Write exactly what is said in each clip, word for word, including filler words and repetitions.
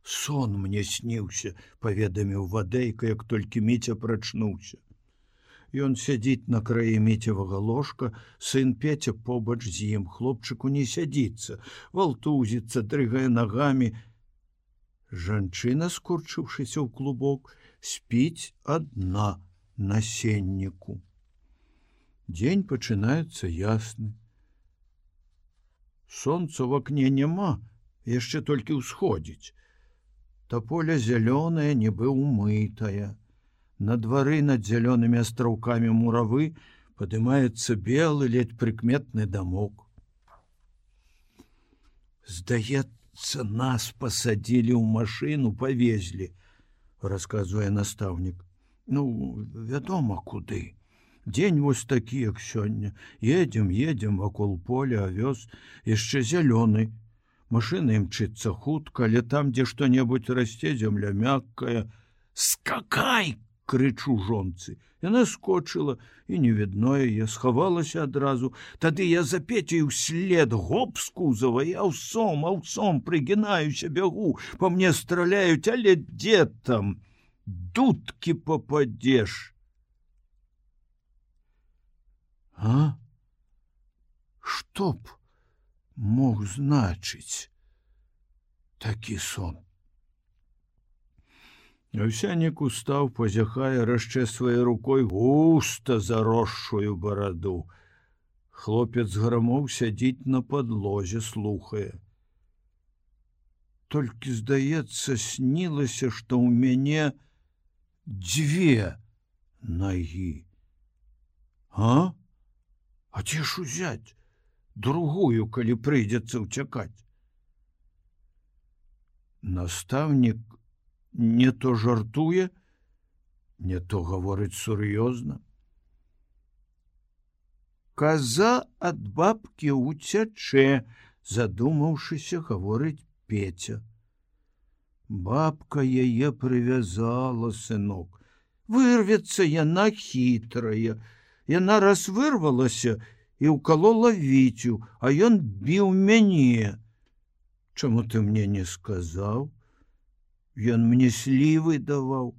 Сон мне сніўся, паведаміў Вадейка, як толькі Міця прачнуўся. Ён сядзіць на краі Міцевага ложка, сын Пеця побач з ім, хлопчыку не сядзіцца, валтузіцца, дрыгае нагамі. Жанчына, скурчыўшыся ў клубок, спіць адна на сенніку. Дзень пачынаецца ясны. Сонца ў акне няма, яшчэ толькі ўсходзіць. Таполя зялёная, нібы умытая. На двары над зялёнымі астраўкамі муравы падымаецца белы, ледь прыкметны дамок. Здаецца, нас пасадзілі ў машыну, павезлі, расказвае настаўнік. Ну, вядома, куды. Дзень вось такі, як сёння. Едзем, едзем вакол поля, авёс, яшчэ зялёны. Машына імчыцца хутка, але там, дзе што-небудзь расце, зямля мяккая. Скакай! Крычу жонцы. Яна скочыла, і не відно яе, схавалася адразу. Тады я за Пецей услед гоп з кузава, я аўсом, аўсом прыгінаюся, бягу, па мне страляюць, але дзе там? Дудкі попадзеш. А? Што б мог значыць такі сон? Овсянік устаў, позяхае, расчэсвае рукой густа заросшую бараду. Хлопец грамоў сядзіць на падлозе, слухае. Толькі, здаецца, снілася, што ў мяне дзве нагі. А? А ці ж узяць? Другую, калі прыйдзецца ўцякаць. Настаўнік не то жартуе, не то гаворыць сур'ёзна. Каза ад бабкі уцячэ, задумаўшыся, гаворыць Пеця. Бабка яе прывязала, сынок. Вырвецца яна хітрая. Яна раз вырвалася і ўкалола Віцю, а ён біў мяне. Чаму ты мне не сказаў? Ён мне слівы даваў,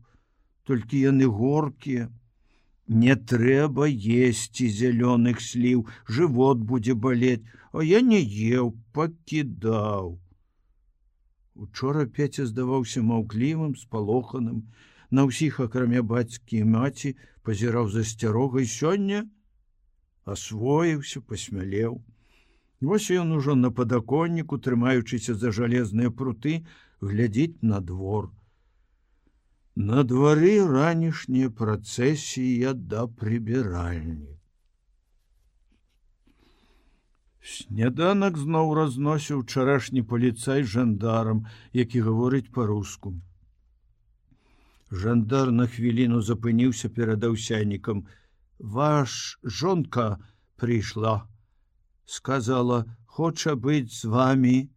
толькі яны горкія. Не трэба есці зялёных сліў, жывот будзе балець, а я не еў, пакідаў. Учора Пеця здаваўся маўклівым, спалоханым, на ўсіх, акрамя бацькі і маці, пазіраў засцярогай. Сёння асвоіўся, пасмялеў. Вось ён ужо на падаконніку, трымаючыся за жалезныя пруты, глядзіць на двор. На двары ранішняя працэсія да прыбіральні. Сняданак зноў разносіў учарашні паліцай жандарам, які гаворыць па-руску. Жандар на хвіліну запыніўся перад аўсянікам. Ваш жонка прыйшла. Сказала, хоча быць з вамі.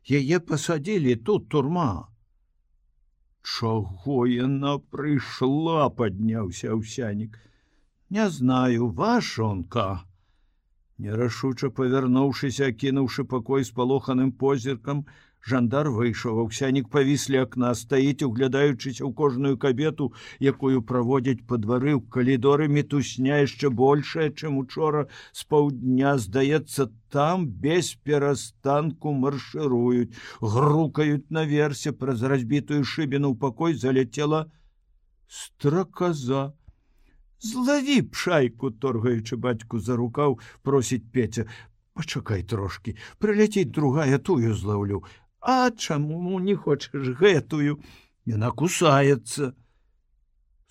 Яе пасадзілі, тут турма. Чаго яна прыйшла, падняўся аўсянік. Не знаю, ваш жонка. Нерашуча павярнуўшыся, акінуўшы пакой спалоханым позіркам, жандар выйшаў. Аўсянік павіс ля акна, стаіць, углядаючыся ў кожную кабету, якую праводзяць па двары. ў калідоры мітусня яшчэ большая, чым учора з паўдня. Здаецца, там без перастанку маршыруюць, грукаюць наверсе. Праз разбітую шыбіну ў пакой заляцела страказа. Злаві пшайку, торгаючы бацьку за рукаў, просіць Пеця. Пачакай трошкі, прыляціць другая, тую злаўлю. А чаму не хочаш гэтую? Яна кусаецца.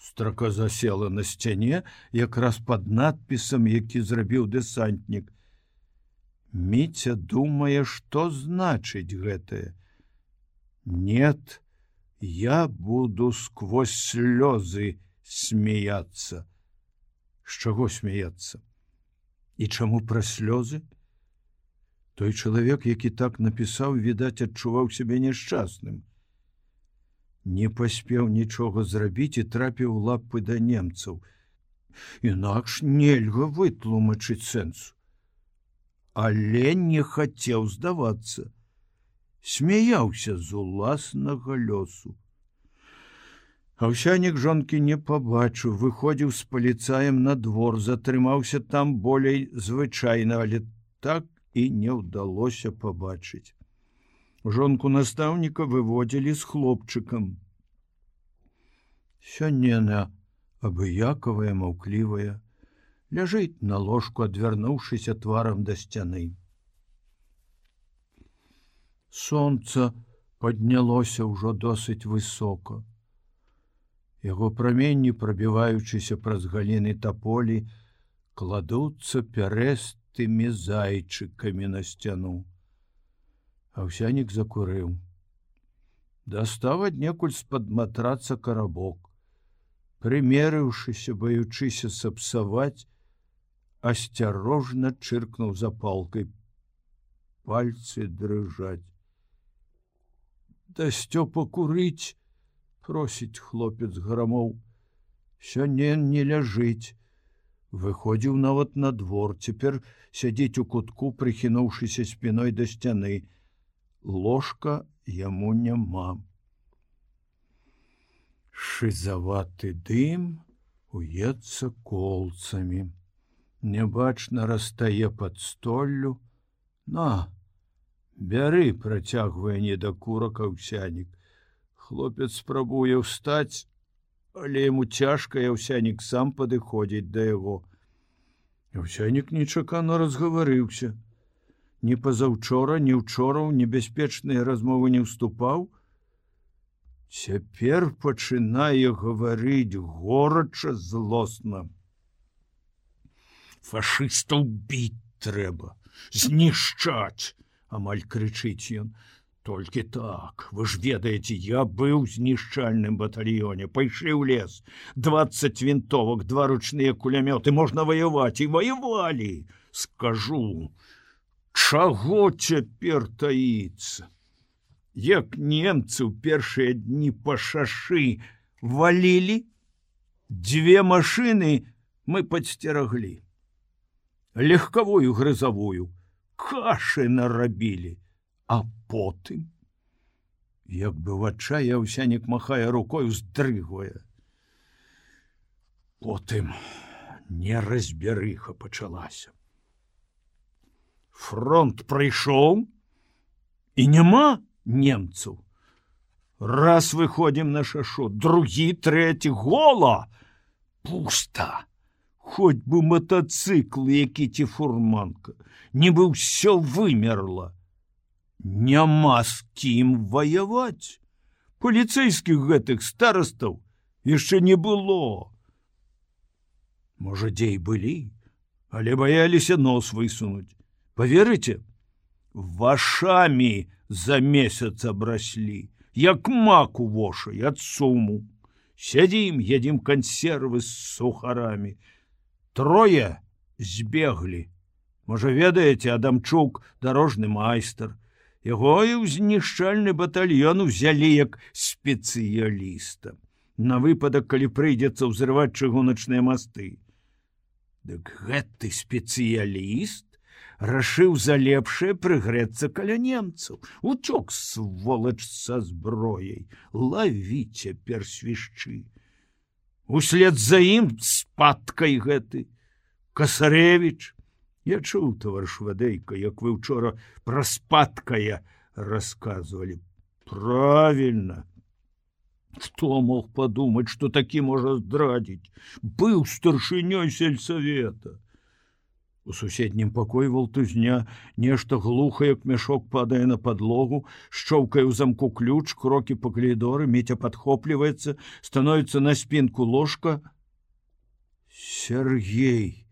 Страказа села на сцяне, якраз пад надпісам, які зрабіў дэсантнік. Міця думае, што значыць гэтае. Нет, я буду сквозь слёзы смеяться. З чаго смеяться? І чаму пра слёзы? Той чалавек, які так напісаў, відаць, адчуваў сябе няшчасным. Не паспеў нічога зрабіць і трапіў у лапы да немцаў. Інакш нельга вытлумачыць сэнсу. Але не хацеў здавацца. смяяўся з уласнага лёсу. Аўсянік жонкі не пабачыў, выходзіў з паліцаем на двор, затрымаўся там болей звычайна, але так і не ўдалося пабачыць. Жонку настаўніка выводзілі з хлопчыкам. Сёння яна абыякавая, маўклівая, ляжыць на ложку, адвярнуўшыся тварам да сцяны. Сонца паднялося ўжо досыць высока. Яго праменні, прабіваючыся праз галіны таполі, кладуцца пярэстымі зайчыкамі на сцяну. Аўсянік закурыў. Дастаў аднекуль з-пад матраца карабок. Прымерыўшыся, баючыся сапсаваць, асцярожна чыркнуў запалкай. Пальцы дрыжаць. «Дасцё пакурыць!» просіць хлопец грамоў. Сёння не ляжыць. Выходзіў нават на двор, цяпер сядзіць у кутку, прыхінуўшыся спіной да сцяны. Ложка яму няма. Шызаваты дым уецца колцамі. Нябачна растае пад столлю. На, бяры, працягвае недакурак Аўсянік. Хлопец спрабуе ўстаць, але яму цяжка, і Аўсянік сам падыходзіць да яго. Аўсянік нечакана разгаварыўся. Ні пазаўчора, ні ўчора ў небяспечныя размовы не ўступаў. Цяпер пачынае гаварыць горача, злосна. «Фашыстаў біць трэба, знішчаць!» амаль крычыць ён. «Толькі так, вы ж ведаеце, я быў у знішчальным батальёне, пайшлі ў лес, двадцать вінтовак, два ручныя кулямёты, можна ваяваць, і ваявалі. Скажу, чаго цяпер таіцца? Як немцы ў першыя дні па шашы валілі, дзве машыны мы падсцераглі. Легкавую грызавую, кашы нарабілі. А потым, як бы в адчаі, Аўсянік махае рукой, уздрыгвае. Потым неразбярыха пачалася. Фронт прыйшоў, і няма немцаў. Раз выходзім на шашу, другі, трэці, гола, пуста. Хоць бы матацыкл, які ці фурманка, нібы ўсё вымерла. Няма з кім ваяваць. Паліцэйскіх гэтых старастаў яшчэ не было. Можа, дзе і былі, але баяліся нос высунуць. Паверыце, вашамі за месяц абраслі, як мак у вошай ад суму. Сядзім, едзім кансервы з сухарамі. Трое збеглі. Можа, ведаеце, Адамчук, дарожны майстар. Яго і ў знішчальны батальён узялі як спецыяліста. На выпадак, калі прыйдзецца ўзрываць чыгуначныя масты. Дык гэты спецыяліст рашыў за лепшае прыгрэцца каля немцаў. Уцёк, сволач, са зброяй. Лаві цяпер свішчы. Услед за ім спадкай гэты Касарэвіч. Я чуў, таварыш Вадейка, як вы ўчора пра спадкая расказвалі. Правільна. Хто мог падумаць, што такі можа здрадзіць? Быў старшынёй сельсавета. У суседнім пакоі валтузня, нешта глуха, як мяшок, падае на падлогу, шчоўкае ў замку ключ, крокі па калідоры, Міця падхопліваецца, становіцца на спінку ложка. Сергей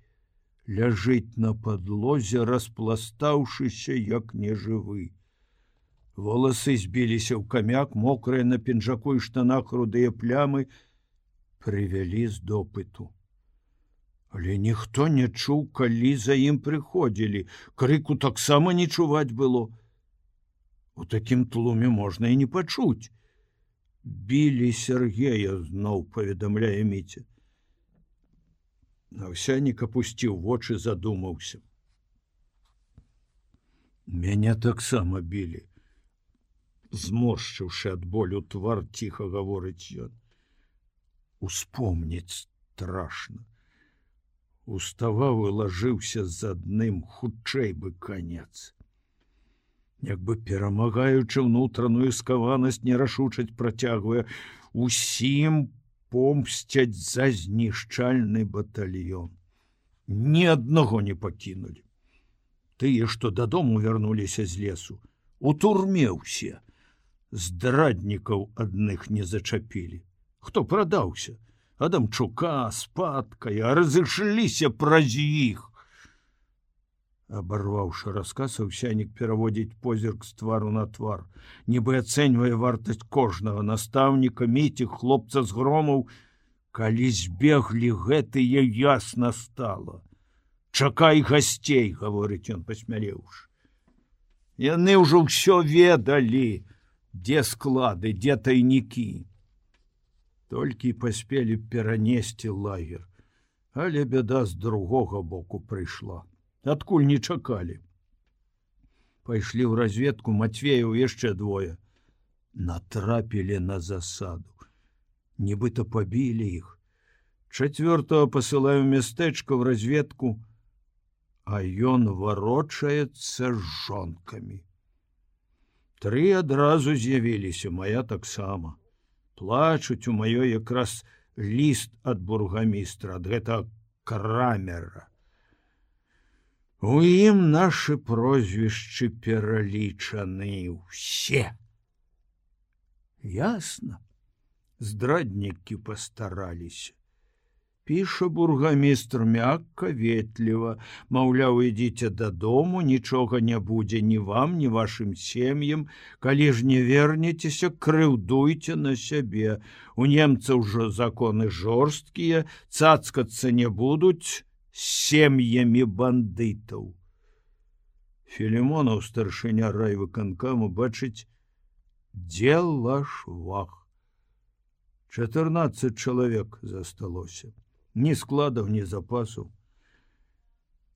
ляжыць на падлозе, распластаўшыся, як нежывы. Воласы збіліся ў камяк, мокрыя на пінжаку і штанах рудыя плямы прывялі з допыту. Але ніхто не чуў, калі за ім прыходзілі. Крыку таксама не чуваць было. У такім тлуме можна і не пачуць. Білі Сергея, зноў паведамляе Міця. Аўсянік апусціў вочы, задумаўся. Мяне таксама білі. Зморшчыўшы ад болю твар, ціха гаворыць ён. Успомніць страшна. Уставаў і лажыўся з адным, хутчэй бы канец. Як бы перамагаючы ўнутраную скаванасць, нерашучаць працягвае: усім помсцяць за знішчальны батальён. Ні аднаго не пакінулі. Тыя, што дадому вярнуліся з лесу, у турме ўсе. Здраднікаў адных не зачапілі. Хто прадаўся? Адамчука, Спадкая, разышліся праз іх. Абарваўшы расказ, Аўсянік пераводзіць позірк з твару на твар, нібы ацэньвае вартасць кожнага настаўніка, Міці, хлопца з Громаў. Калі збеглі гэтыя, ясна стала. Чакай гасцей, гаворыць ён, пасмялеўшы. Яны ўжо ўсё ведалі, дзе склады, дзе тайнікі. Толькі паспелі перанесці лагер, але бяда з другога боку прыйшла. Адкуль не чакалі. Пайшлі ў разведку Матвеяў яшчэ двое. Натрапілі на засаду. Нібыта пабілі іх. Чацвёртага пасылаю мястэчка ў разведку, а ён варочаецца з жонкамі. Тры адразу з'явіліся, мая таксама. Плачуць у маёй якраз ліст ад бургамістра, ад гэтага Крамера. У ім нашы прозвішчы пералічаны ўсе. Ясна. Здраднікі пастараліся. Піша бургамістр мякка, ветліва, маўляў, ідзіце дадому, нічога не будзе ні вам, ні вашым сем'ям, калі ж не вернецеся, крыўдуйце на сябе. У немцаў ужо законы жорсткія, цацкацца не будуць з сем'ямі бандытаў. Філімонаў, старшыня райвыканкаму, бачыць, дзела швах. Чатырнаццаць чалавек засталося. Ні складаў, ні запасаў.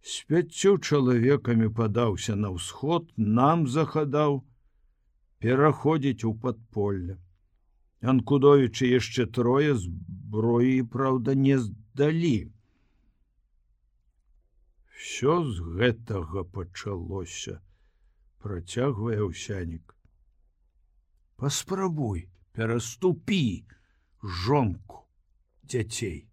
З пяццю чалавекамі падаўся на ўсход, нам захадаў пераходзіць у падполле. Анкудовічы яшчэ трое, зброі, праўда, не здалі. Всё з гэтага пачалося, працягвае Аўсянік. Паспрабуй, пераступі жонку, дзяцей.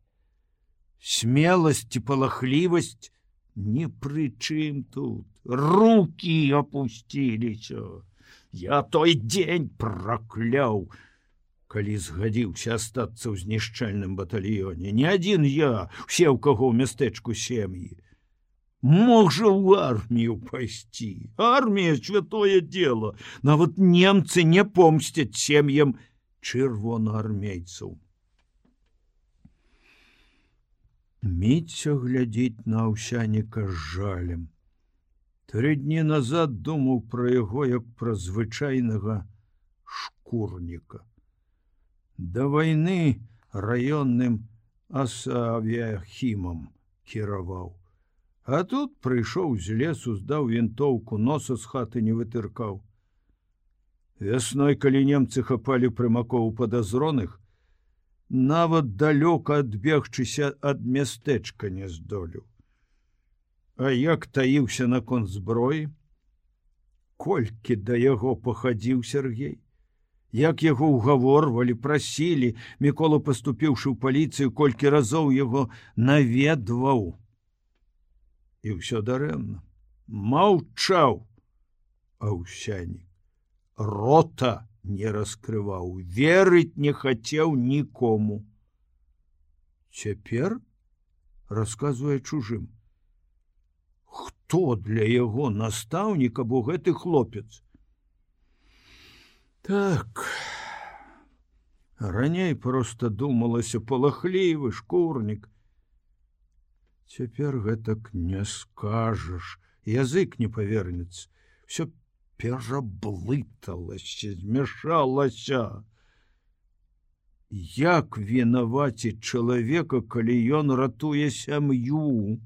Смеласць і палахлівасць ні пры чым тут. Рукі апусціліся. Я той дзень пракляў, калі згадзіўся астацца ў знішчальным батальёне. Не адзін я, усе, у каго ў мястэчку сем'і. Мог жа ў армію пайсці. Армія — святое дело. Нават немцы не помсцяць сем'ям чырвонаармейцаў. Міця глядзіць на Аўсяніка з жалем. Тры дні назад думаў пра яго як пра звычайнага шкурніка. Да вайны раённым асавіяхімам кіраваў. А тут прыйшоў з лесу, здаў вінтоўку, носа з хаты не вытыркаў. Вясной, калі немцы хапалі прымакоў падазроных, нават далёка адбегчыся ад мястэчка не здолеў. А як таіўся наконт зброі? Колькі да яго пахадзіў Сергей? Як яго ўгаворвалі, прасілі, Мікола, паступіўшы ў паліцыю, колькі разоў яго наведваў. І ўсё дарэмна. Маўчаў Аўсянік. Рота не раскрываў, верыць не хацеў нікому. Цяпер расказвае чужым. Хто для яго настаўнік або гэты хлопец? Так, раней проста думалася, палахлівы шкурнік. Цяпер гэтак не скажаш, язык не павернецца. Всё пераблыталася, змяшалася. Як вінаваціць чалавека, калі ён ратуе сям'ю?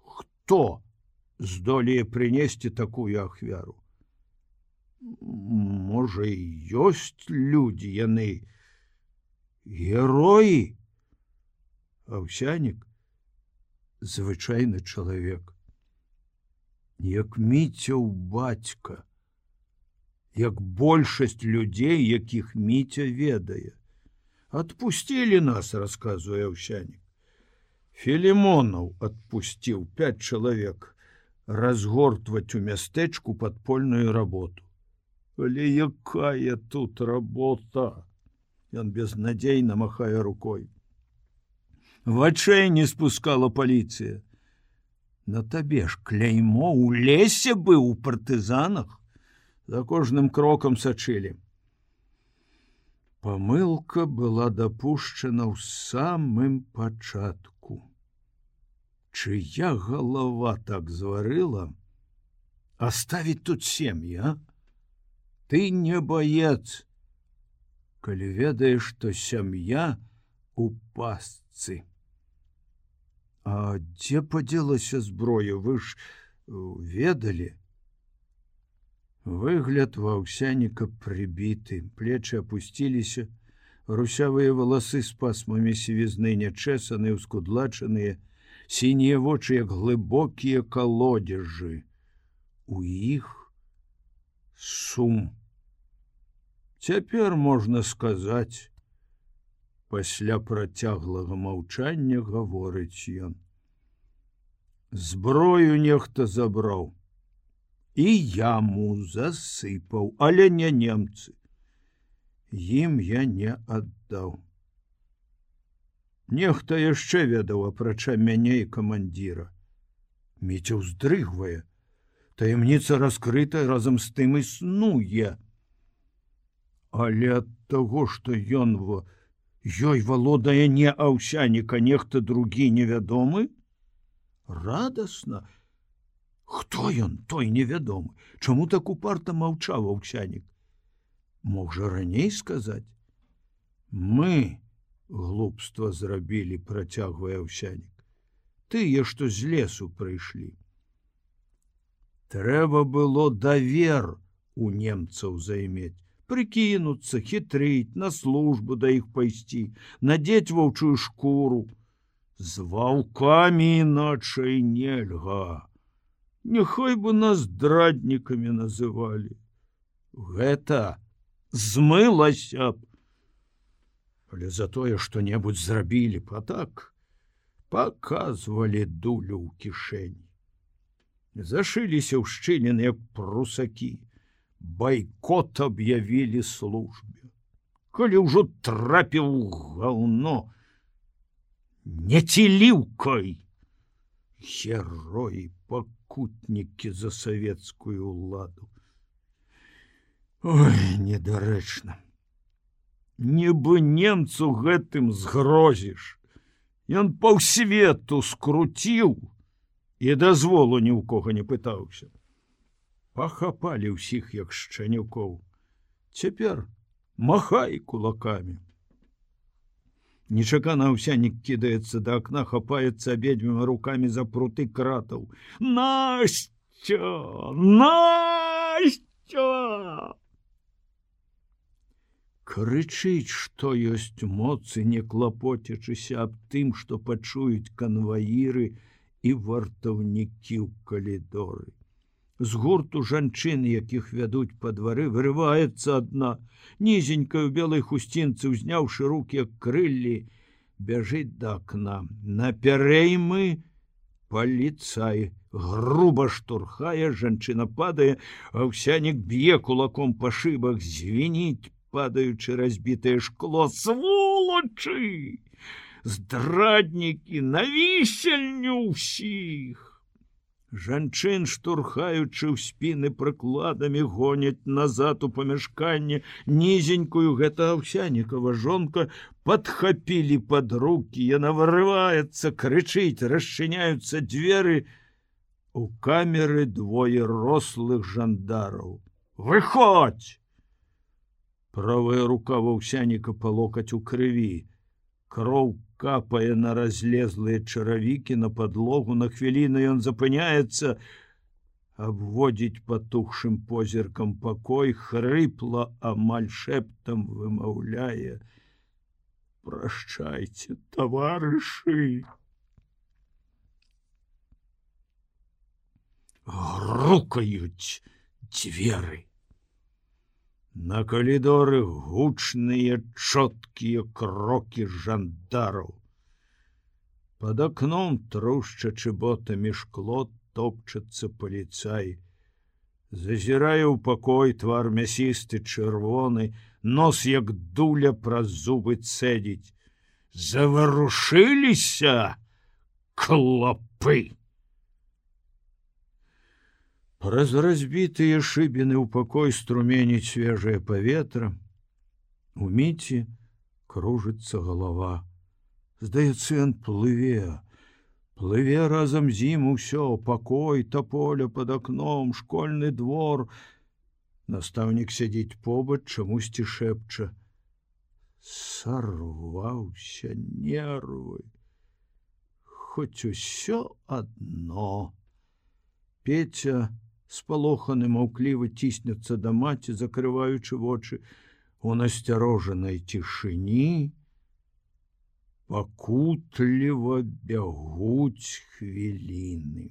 Хто здолее прынесці такую ахвяру? Можа, і ёсць людзі, яны героі. Аўсянік звычайны чалавек, як Міцяў бацька, як большасць людзей, якіх Міця ведае. Адпусцілі нас, расказвае Аўсянік. Філімонаў адпусціў пяць чалавек разгортваць у мястэчку падпольную работу. Але якая тут работа? Ён безнадзейна махае рукой. Вачэй не спускала паліцыя. На табе ж кляймо ў лесе быў у партызанах. За кожным крокам сачылі. Памылка была дапушчана ў самым пачатку. Чыя галава так зварыла? Аставіць тут сем'і, а? Ты не баец, калі ведаеш, што сям'я у пастцы. А дзе падзелася зброя, вы ж ведалі? Выгляд ва Аўсяніка прыбіты, плечы апусціліся, русявыя валасы з пасмамі сівізны нячэсаныя, ускудлачаныя, сінія вочы, як глыбокія калодзежы. У іх сум. Цяпер можна сказаць, пасля працяглага маўчання гаворыць ён. Зброю нехта забраў. І яму засыпаў, але не немцы. Ім я не аддаў. Нехта яшчэ ведаў, апрача мяне і камандзіра. Міця ўздрыгвае. Таямніца раскрыта, разам з тым існуе. Але ад таго, што ён во ёй валодае не Аўсяніка, нехта другі невядомы? Радасна. Хто ён, той невядомы? Чаму так упарта маўчаў Аўсянік? Мог жа раней сказаць? Мы глупства зрабілі, працягвае Аўсянік. Тыя, што з лесу прыйшлі. Трэба было давер у немцаў займець, прыкінуцца, хітрыць, на службу да іх пайсці, надзець воўчую шкуру. З ваўкамі іначай нельга. Няхай бы нас здраднікамі называлі. Гэта змылася б. Але за тое, што-небудзь зрабілі б, а так паказвалі дулю ў кішэні. Зашыліся ў шчыліны, як прусакі. Байкот аб'явілі службе. Калі ўжо трапіў гаўно, не ціліўкай. Героі, пакутнікі за савецкую ўладу. Ой, недарэчна. Нібы немцу гэтым згрозіш. Ён паўсвету скруціў і дазволу ні ў кога не пытаўся. Пахапалі ўсіх, як шчанюкоў. Цяпер махай кулакамі. Нечакана Аўсянік кідаецца да акна, хапаецца абедзвюма рукамі за пруты кратаў. Настя! Настя! Крычыць, што ёсць моцы, не клапоцячыся аб тым, што пачуюць канваіры і вартаўнікі ў калідоры. З гурту жанчын, якіх вядуць па двары, вырываецца адна, нізенькая ў белай хусцінцы, узняўшы рукі, як крыллі, бяжыць да акна. На пярэймы паліцай груба штурхае, жанчына падае, Аўсянік б'е кулаком па шыбах, звініць, падаючы разбітае шкло. Сволачы! Здраднікі, на вісельню ўсіх! Жанчын, штурхаючы ў спіны прыкладамі, гоняць назад у памяшканне. Нізенькую, гэта Аўсянікава жонка, падхапілі пад рукі. Яна вырываецца, крычыць, расчыняюцца дзверы. У камеры двое рослых жандараў. Выходзь! Правая рука Аўсяніка па локаць у крыві. Кроў капае на разлезлыя чаравікі, на падлогу. На хвіліну ён запыняецца, абводзіць патухшым позіркам пакой, хрыпла, амаль шэптам вымаўляе: «Прощайце, таварышы!» Грукаюць дзверы. На калідоры гучныя чоткія крокі жандараў. Пад акном, трушчачы ботамі шкло, топчацца паліцай. Зазірае ў пакой, твар мясісты, чырвоны, нос як дуля праз зубы цэдзіць. Заварушыліся клопы. Праз разбітыя шыбіны ў пакой струменіць свежае паветра. Уміці кружыцца галава. Здаецца, ён плыве. Плыве разам з ім усё, пакой, таполя пад акном, школьны двор. Настаўнік сядзіць побач, чамусьці шэпча: «Сарваўся, нервы, хоць усё адно». Петя спалоханы маўкліва ціснецца да маці, закрываючы вочы. У насцярожанай цішыні пакутліва бягуць хвіліны.